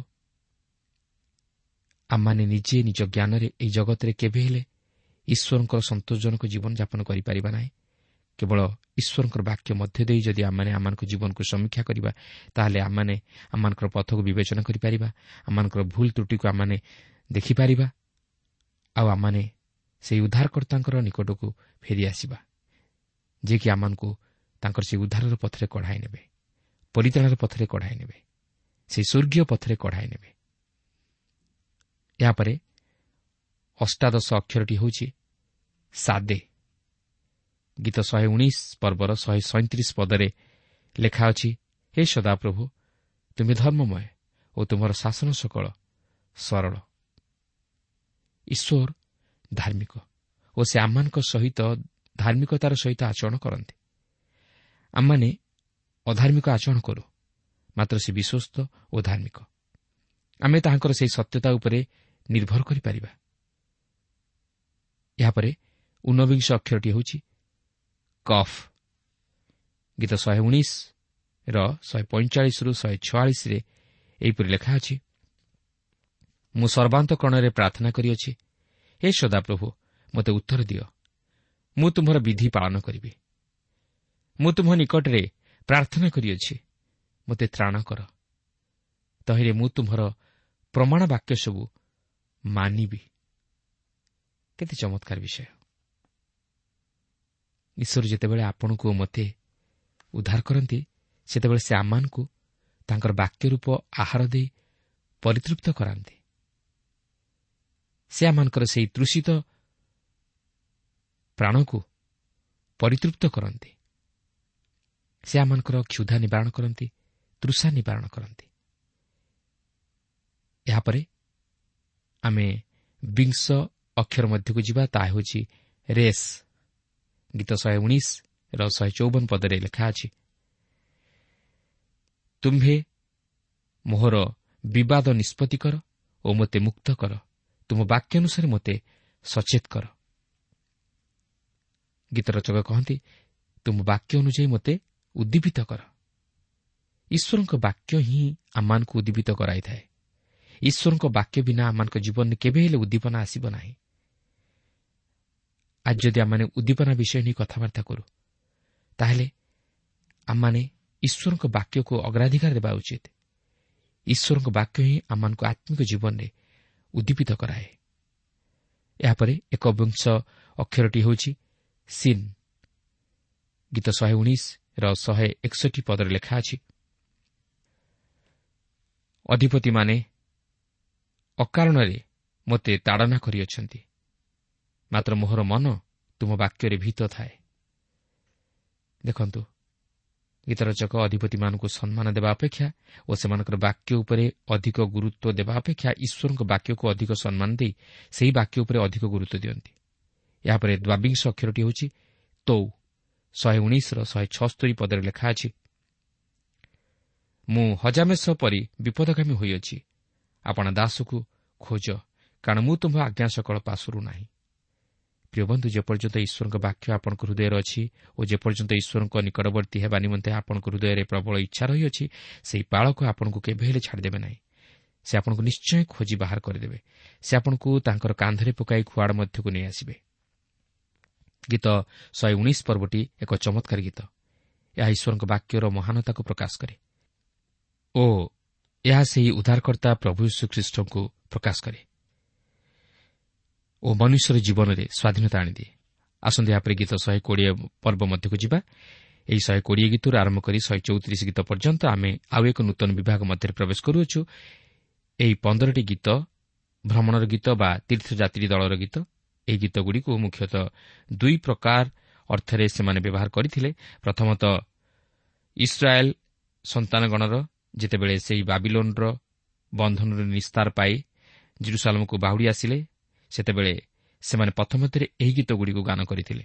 ଆମମାନେ ନିଜେ ନିଜ ଜ୍ଞାନରେ ଏହି ଜଗତରେ କେବେ ହେଲେ ଈଶ୍ୱରଙ୍କର ସନ୍ତୋଷଜନକ ଜୀବନଯାପନ କରିପାରିବା ନାହିଁ। କେବଳ ଈଶ୍ୱରଙ୍କର ବାକ୍ୟ ମଧ୍ୟ ଦେଇ ଯଦି ଆମମାନେ ଆମମାନଙ୍କ ଜୀବନକୁ ସମୀକ୍ଷା କରିବା, ତାହେଲେ ଆମମାନେ ଆମମାନଙ୍କର ପଥକୁ ବିବେଚନା କରିପାରିବା, ଆମମାନଙ୍କର ଭୁଲ ତ୍ରୁଟିକୁ ଆମମାନେ ଦେଖିପାରିବା, ଆଉ ଆମମାନେ ସେହି ଉଦ୍ଧାରକର୍ତ୍ତାଙ୍କର ନିକଟକୁ ଫେରିଆସିବା, ଯିଏକି ଆମମାନଙ୍କୁ ତାଙ୍କର ସେହି ଉଦ୍ଧାରର ପଥରେ କଢ଼ାଇ ନେବେ, ପରିତ୍ରାଣର ପଥରେ କଢ଼ାଇ ନେବେ, ସେହି ସ୍ୱର୍ଗୀୟ ପଥରେ କଢ଼ାଇ ନେବେ। ଏହାପରେ ଅଷ୍ଟାଦଶ ଅକ୍ଷରଟି ହେଉଛି ସାଦେ। ଗୀତ 119 ପର୍ବର 137 ପଦରେ ଲେଖା ଅଛି, ହେ ସଦାପ୍ରଭୁ, ତୁମେ ଧର୍ମମୟ ଓ ତୁମର ଶାସନ ସକଳ ସରଳ। ଈଶ୍ୱର ଧାର୍ମିକ ଓ ସେ ଆମମାନଙ୍କ ସହିତ ଧାର୍ମିକତାର ସହିତ ଆଚରଣ କରନ୍ତି। ଆମମାନେ ଅଧାର୍ମିକ ଆଚରଣ କରୁ, ମାତ୍ର ସେ ବିଶ୍ୱସ୍ତ ଓ ଧାର୍ମିକ। ଆମେ ତାହାଙ୍କର ସେହି ସତ୍ୟତା ଉପରେ ନିର୍ଭର କରିପାରିବା। ଏହାପରେ ଊନବିଂଶ ଅକ୍ଷରଟି ହେଉଛି କଫ୍। ଗୀତ 119ର 145ରୁ 146ରେ ଏହିପରି ଲେଖା ଅଛି, ମୁଁ ସର୍ବାନ୍ତକରଣରେ ପ୍ରାର୍ଥନା କରିଅଛି, ହେ ସଦାପ୍ରଭୁ, ମୋତେ ଉତ୍ତର ଦିଅ, ମୁଁ ତୁମ୍ଭର ବିଧି ପାଳନ କରିବି। ମୁଁ ତୁମ୍ଭ ନିକଟରେ ପ୍ରାର୍ଥନା କରିଅଛି, ମୋତେ ତ୍ରାଣ କର, ତହିଁରେ ମୁଁ ତୁମ୍ଭର ପ୍ରମାଣ ବାକ୍ୟ ସବୁ ମାନିବି। କେତେ ଚମତ୍କାର ବିଷୟ! ଈଶ୍ୱର ଯେତେବେଳେ ଆପଣଙ୍କୁ ମୋତେ ଉଦ୍ଧାର କରନ୍ତି, ସେତେବେଳେ ସେ ଆମମାନଙ୍କୁ ତାଙ୍କର ବାକ୍ୟ ରୂପ ଆହାର ଦେଇ ପରିତୃପ୍ତ କରାନ୍ତି। ସେ ଆମମାନଙ୍କର ସେହି ତୃଷିତ ପ୍ରାଣକୁ ପରିତୃପ୍ତ କରନ୍ତି। ସେ ଆମମାନଙ୍କର କ୍ଷୁଧା ନିବାରଣ କରନ୍ତି, ତୃଷା ନିବାରଣ କରନ୍ତି। ଏହାପରେ ଆମେ ବିଂଶ ଅକ୍ଷର ମଧ୍ୟକୁ ଯିବା, ତାହା ହେଉଛି ରେସ୍। ଗୀତ 119ର 154 ପଦରେ ଲେଖା ଅଛି, ତୁମ୍ଭେ ମୋହର ବିବାଦ ନିଷ୍ପତ୍ତି କର ଓ ମୋତେ ମୁକ୍ତ କର, ତୁମ ବାକ୍ୟ ଅନୁସାରେ ମୋତେ ସଚେତ କର। ଗୀତ ରଚକ କହନ୍ତି, ତୁମ ବାକ୍ୟ ଅନୁଯାୟୀ ମୋତେ ଉଦ୍ଦୀପିତ କର। ଈଶ୍ୱରଙ୍କ ବାକ୍ୟ ହିଁ ଆମମାନଙ୍କୁ ଉଦ୍ଦୀପିତ କରାଇଥାଏ। ଈଶ୍ୱରଙ୍କ ବାକ୍ୟ ବିନା ଆମମାନଙ୍କ ଜୀବନରେ କେବେ ହେଲେ ଉଦ୍ଦୀପନା ଆସିବ ନାହିଁ। ଆଜି ଯଦି ଆମମାନେ ଉଦ୍ଦୀପନା ବିଷୟ ନେଇ କଥାବାର୍ତ୍ତା କରୁ, ତାହେଲେ ଆମମାନେ ଈଶ୍ୱରଙ୍କ ବାକ୍ୟକୁ ଅଗ୍ରାଧିକାର ଦେବା ଉଚିତ। ଈଶ୍ୱରଙ୍କ ବାକ୍ୟ ହିଁ ଆମମାନଙ୍କୁ ଆତ୍ମିକ ଜୀବନରେ ଉଦ୍ଦୀପିତ କରାଏ। ଏହାପରେ ଏକବିଂଶ ଅକ୍ଷରଟି ହେଉଛି ସିନ୍। ଗୀତ 119ର 161 ପଦରେ ଲେଖା ଅଛି, ଅଧିପତିମାନେ ଅକାରଣରେ ମୋତେ ତାଡ଼ନା କରିଅଛନ୍ତି, ମାତ୍ର ମୋହର ମନ ତୁମ ବାକ୍ୟରେ ଭୀତ ଥାଏ। ଦେଖନ୍ତୁ, ଗୀତରଚକ ଅଧିପତିମାନଙ୍କୁ ସମ୍ମାନ ଦେବା ଅପେକ୍ଷା ଓ ସେମାନଙ୍କର ବାକ୍ୟ ଉପରେ ଅଧିକ ଗୁରୁତ୍ୱ ଦେବା ଅପେକ୍ଷା ଈଶ୍ୱରଙ୍କ ବାକ୍ୟକୁ ଅଧିକ ସମ୍ମାନ ଦେଇ ସେହି ବାକ୍ୟ ଉପରେ ଅଧିକ ଗୁରୁତ୍ୱ ଦିଅନ୍ତି। ଏହାପରେ ଦ୍ୱାବିଂଶ ଅକ୍ଷରଟି ହେଉଛି ତୌ। 119ର 176 ପଦରେ ଲେଖା ଅଛି, ମୁଁ ହଜାମେଷ ପରି ବିପଦଗାମୀ ହୋଇଅଛି, ଆପଣା ଦାସକୁ ଖୋଜ, କାରଣ ମୁଁ ତୁମ୍ଭ ଆଜ୍ଞା ସକଳ ପାଶରୁ ନାହିଁ। ପ୍ରିୟ ବନ୍ଧୁ, ଯେପର୍ଯ୍ୟନ୍ତ ଈଶ୍ୱରଙ୍କ ବାକ୍ୟ ଆପଣଙ୍କ ହୃଦୟରେ ଅଛି ଓ ଯେପର୍ଯ୍ୟନ୍ତ ଈଶ୍ୱରଙ୍କ ନିକଟବର୍ତ୍ତୀ ହେବା ନିମନ୍ତେ ଆପଣଙ୍କ ହୃଦୟରେ ପ୍ରବଳ ଇଚ୍ଛା ରହିଅଛି, ସେହି ପାଳକ ଆପଣଙ୍କୁ କେବେ ହେଲେ ଛାଡ଼ିଦେବେ ନାହିଁ। ସେ ଆପଣଙ୍କୁ ନିଶ୍ଚୟ ଖୋଜି ବାହାର କରିଦେବେ। ସେ ଆପଣଙ୍କୁ ତାଙ୍କର କାନ୍ଧରେ ପକାଇ ଖୁଆଡ଼ ମଧ୍ୟକୁ ନେଇ ଆସିବେ। ଗୀତ 119 ପର୍ବଟି ଏକ ଚମତ୍କାର ଗୀତ। ଏହା ଈଶ୍ୱରଙ୍କ ବାକ୍ୟର ମହାନତାକୁ ପ୍ରକାଶ କରେ ଓ ଏହା ସେହି ଉଦ୍ଧାରକର୍ତ୍ତା ପ୍ରଭୁ ଯୀଶୁଖ୍ରୀଷ୍ଟଙ୍କୁ ପ୍ରକାଶ କରେ ଓ ମନୁଷ୍ୟର ଜୀବନରେ ସ୍ୱାଧୀନତା ଆଣିଦିଏ। ଆସନ୍ତୁ ଏହାପରେ ଗୀତ 120 ପର୍ବ ମଧ୍ୟକୁ ଯିବା। ଏହି 120 ଗୀତରୁ ଆରମ୍ଭ କରି 134 ଗୀତ ପର୍ଯ୍ୟନ୍ତ ଆମେ ଆଉ ଏକ ନୂତନ ବିଭାଗ ମଧ୍ୟରେ ପ୍ରବେଶ କରୁଅଛୁ। ଏହି 15ଟି ଗୀତ ଭ୍ରମଣର ଗୀତ ବା ତୀର୍ଥଯାତ୍ରୀ ଦଳର ଗୀତ। ଏହି ଗୀତଗୁଡ଼ିକୁ ମୁଖ୍ୟତଃ ଦୁଇ ପ୍ରକାର ଅର୍ଥରେ ସେମାନେ ବ୍ୟବହାର କରିଥିଲେ। ପ୍ରଥମତଃ ଇସ୍ରାଏଲ୍ ସନ୍ତାନଗଣର ଯେତେବେଳେ ସେହି ବାବିଲୋନର ବନ୍ଧନରୁ ନିସ୍ତାର ପାଇ ଜେରୁସାଲେମକୁ ବାହୁଡ଼ି ଆସିଲେ, ସେତେବେଳେ ସେମାନେ ପଥ ମଧ୍ୟରେ ଏହି ଗୀତଗୁଡ଼ିକୁ ଗାନ କରିଥିଲେ।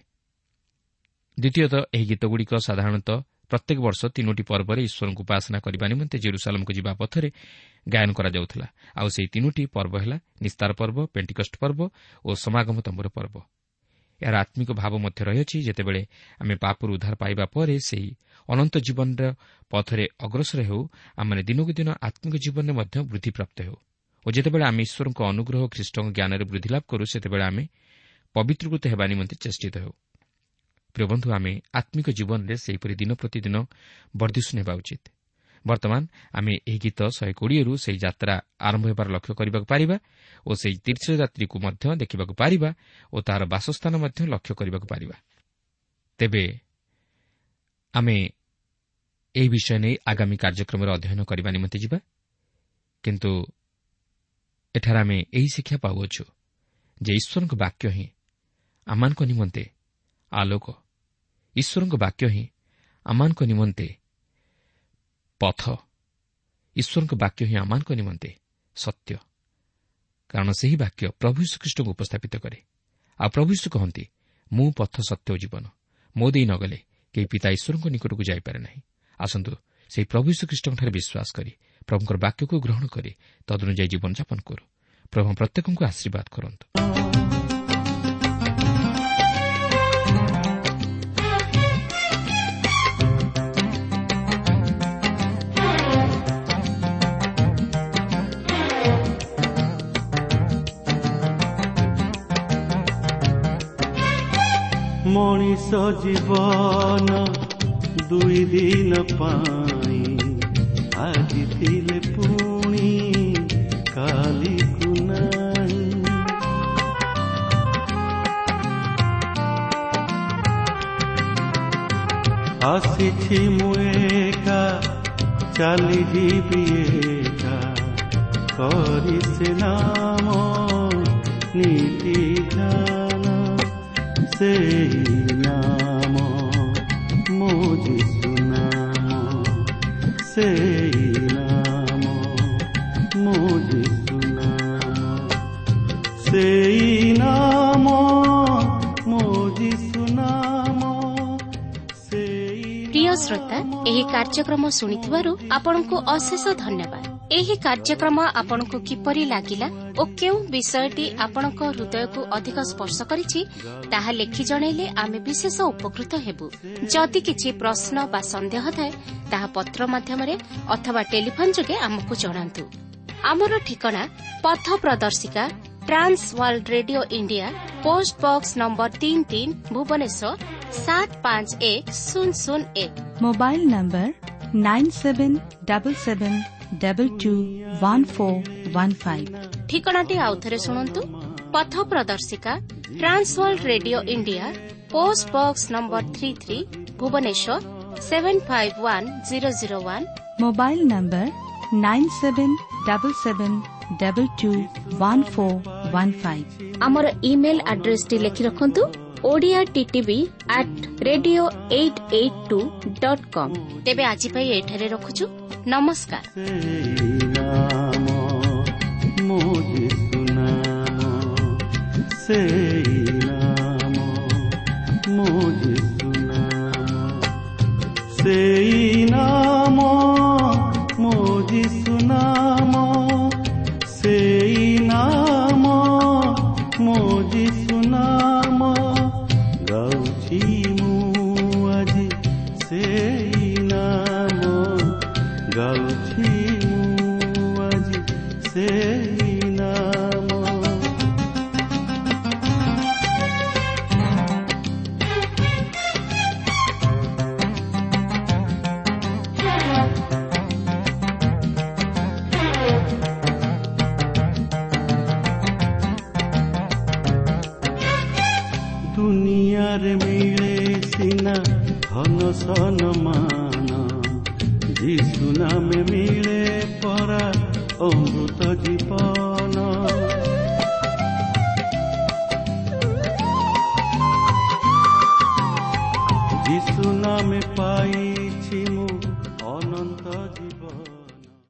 ଦ୍ୱିତୀୟତଃ ଏହି ଗୀତଗୁଡ଼ିକ ସାଧାରଣତଃ ପ୍ରତ୍ୟେକ ବର୍ଷ 3ଟି ପର୍ବରେ ଈଶ୍ୱରଙ୍କୁ ଉପାସନା କରିବା ନିମନ୍ତେ ଜେରୁସାଲେମକୁ ଯିବା ପଥରେ ଗାୟନ କରାଯାଉଥିଲା। ଆଉ ସେହି 3ଟି ପର୍ବ ହେଲା ନିସ୍ତାର ପର୍ବ, ପେଣ୍ଟିକଷ୍ଟ ପର୍ବ ଓ ସମାଗମ ତମ୍ବୁର ପର୍ବ। ଏହାର ଆତ୍ମିକ ଭାବ ମଧ୍ୟ ରହିଅଛି। ଯେତେବେଳେ ଆମେ ପାପରୁ ଉଦ୍ଧାର ପାଇବା ପରେ ସେହି ଅନନ୍ତ ଜୀବନର ପଥରେ ଅଗ୍ରସର ହେଉ, ଆମମାନେ ଦିନକୁ ଦିନ ଆତ୍ମିକ ଜୀବନରେ ମଧ୍ୟ ବୃଦ୍ଧିପ୍ରାପ୍ତ ହେଉ ଓ ଯେତେବେଳେ ଆମେ ଈଶ୍ୱରଙ୍କ ଅନୁଗ୍ରହ ଖ୍ରୀଷ୍ଟଙ୍କ ଜ୍ଞାନରେ ବୃଦ୍ଧି ଲାଭ କରୁ, ସେତେବେଳେ ଆମେ ପବିତ୍ରକୃତ ହେବା ନିମନ୍ତେ ଚେଷ୍ଟିତ ହେଉ। ପ୍ରିୟ ବନ୍ଧୁ, ଆମେ ଆତ୍ମିକ ଜୀବନରେ ସେହିପରି ଦିନ ପ୍ରତିଦିନ ବର୍ଦ୍ଧିଷ୍ଣୁ ହେବା ଉଚିତ। ବର୍ତ୍ତମାନ ଆମେ ଏହି ଗୀତ 120ରୁ ସେହି ଯାତ୍ରା ଆରମ୍ଭ ହେବାର ଲକ୍ଷ୍ୟ କରିବାକୁ ପାରିବା ଓ ସେହି ତୀର୍ଥଯାତ୍ରୀକୁ ମଧ୍ୟ ଦେଖିବାକୁ ପାରିବା ଓ ତାହାର ବାସସ୍ଥାନ ମଧ୍ୟ ଲକ୍ଷ୍ୟ କରିବାକୁ ପାରିବା। ତେବେ ଆମେ ଏହି ବିଷୟ ନେଇ ଆଗାମୀ କାର୍ଯ୍ୟକ୍ରମରେ ଅଧ୍ୟୟନ କରିବା ନିମନ୍ତେ ଯିବା। କିନ୍ତୁ ଏଠାରେ ଆମେ ଏହି ଶିକ୍ଷା ପାଉଅଛୁ ଯେ ଈଶ୍ୱରଙ୍କ ବାକ୍ୟ ହିଁ ଆମମାନଙ୍କ ନିମନ୍ତେ ଆଲୋକ, ଈଶ୍ୱରଙ୍କ ବାକ୍ୟ ହିଁ ଆମମାନଙ୍କ ନିମନ୍ତେ ପଥ, ଈଶ୍ୱରଙ୍କ ବାକ୍ୟ ହିଁ ଆମମାନଙ୍କ ନିମନ୍ତେ ସତ୍ୟ। କାରଣ ସେହି ବାକ୍ୟ ପ୍ରଭୁ ଯୀଶୁଖ୍ରୀଷ୍ଟଙ୍କୁ ଉପସ୍ଥାପିତ କରେ। ଆଉ ପ୍ରଭୁ ଯୀଶୁ କହନ୍ତି, ମୁଁ ପଥ, ସତ୍ୟ ଓ ଜୀବନ, ମୋ ଦେଇ ନ ଗଲେ କେହି ପିତା ଈଶ୍ୱରଙ୍କ ନିକଟକୁ ଯାଇପାରେ ନାହିଁ। ଆସନ୍ତୁ ସେହି ପ୍ରଭୁ ଯୀଶୁଖ୍ରୀଷ୍ଟଙ୍କଠାରେ ବିଶ୍ୱାସ କରି ପ୍ରଭୁଙ୍କର ବାକ୍ୟକୁ ଗ୍ରହଣ କରି ତଦନୁଯାୟୀ ଜୀବନଯାପନ କରୁ। ପ୍ରଭୁ ପ୍ରତ୍ୟେକଙ୍କୁ ଆଶୀର୍ବାଦ କରନ୍ତୁ। ମଣିଷ ଜୀବନ ଦୁଇ ଦିନ ପାଇଁ, ଆଜି ଥିଲେ ପୁଣି କାଲିକୁ ନାହିଁ। ଆସିଛି ମୁଁ ଏକା, ଚାଲିଯିବି ଏକା, କରି ସେ ନାମ ନୀତି ଧ୍ୟାନ। ସେଇ ନାମ ମୋ ଯୀଶୁ ନାମ, ସେଇ ନାମ ମୋ ଯୀଶୁ ନାମ, ସେଇ ନାମ ମୋ ଯୀଶୁ ନାମ, ସେଇ। ପ୍ରିୟ ଶ୍ରୋତା, ଏହି କାର୍ଯ୍ୟକ୍ରମ ଶୁଣିଥିବାରୁ ଆପଣଙ୍କୁ ଅଶେଷ ଧନ୍ୟବାଦ। ଏହି କାର୍ଯ୍ୟକ୍ରମ ଆପଣଙ୍କୁ କିପରି ଲାଗିଲା ଓ କେଉଁ ବିଷୟଟି ଆପଣଙ୍କ ହୃଦୟକୁ ଅଧିକ ସ୍ପର୍ଶ କରିଛି, ତାହା ଲେଖି ଜଣାଇଲେ ଆମେ ବିଶେଷ ଉପକୃତ ହେବୁ। ଯଦି କିଛି ପ୍ରଶ୍ନ ବା ସନ୍ଦେହ ଥାଏ, ତାହା ପତ୍ର ମାଧ୍ୟମରେ ଅଥବା ଟେଲିଫୋନ୍ ଯୋଗେ ଆମକୁ ଜଣାନ୍ତୁ। ଆମର ଠିକଣା ପଥ ପ୍ରଦର୍ଶିକା, trans world radio India, post box number 33, Bhubaneswar 751001। Mobile number 9777221415। ଠିକଣାଟି ଆଉଥରେ ଶୁଣନ୍ତୁ: ପଥ ପ୍ରଦର୍ଶିକା, trans world radio India, post box number 33, Bhubaneswar 751001। Mobile number 9777221415। ଆମର ଇମେଲ୍ ଆଡ୍ରେସଟି ଲେଖି ରଖନ୍ତୁ: Odia TTV at radio 882 dot com. ତେବେ ଆଜି ପାଇଁ ଏଠାରେ ରଖୁଛୁ। ନମସ୍କାର। ସେଇ ନାମ ମୋ ଯୀଶୁ ନାମ, ସେଇ ନାମ ମୋ ଯୀଶୁ ନାମ, ସେଇ ନାମ ମୋ ଯୀଶୁ ନାମ, ସେଇ ନାମ ମୋ ଯୀଶୁ ନାମ। ଗାଉଛି ମୁଁ ଆଜି ସେଇ ନାମ, ଗାଉଛି ମୁଁ ଆଜି ସେଇ ନାମ। ଦୁନିଆରେ ମିଳେ ସିନା ଧନ ସନମାନ, ଯୀଶୁ ନାମେ ମିଳେ ପରା ଅମୃତ ଜୀବନ। ଯୀଶୁ ନାମେ ପାଇଛି ମୁଁ ଅନନ୍ତ ଜୀବନ।